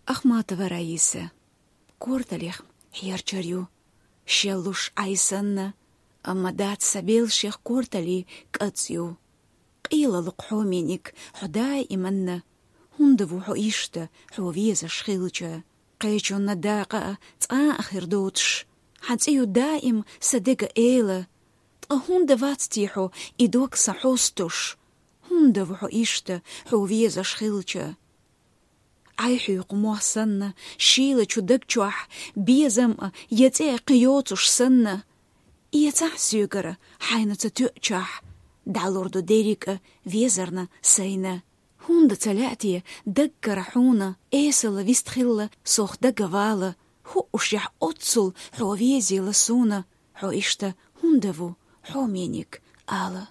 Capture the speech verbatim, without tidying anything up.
Ахматова Раиса. Корталех хьерчар ю. Шеллуш Ӏай санна, амма дац са белшех кортали кӀацӀ ю. Къелалу хьо, Меник, хьо даиманна. ХӀунда ву хьо иштта, хьо везаш хилча? Кхечунна дакъа а цкъа а хир доцуш, хьан цӀе ю даим са дега эла. Ткъа хӀунда вац те хьо и дог сан хьостуш? ХӀунда ву хьо иштта, хьо везаш хилча? Ӏай хьоькху мох санна, шийлачу даг чохь, безам а, я цӀе а кхин йоцуш санна. Эцахь соьгара хьайна ца тоьачахь, дӀалур ду дерриг а везарна сайна. ХӀунда ца лаьа те даггара хьуна, эсала вистхилла, сох дага вала, хӀуъушехь оццул хьо везийла суна, хьо иштта хӀунда ву, хьо, Меник, ала?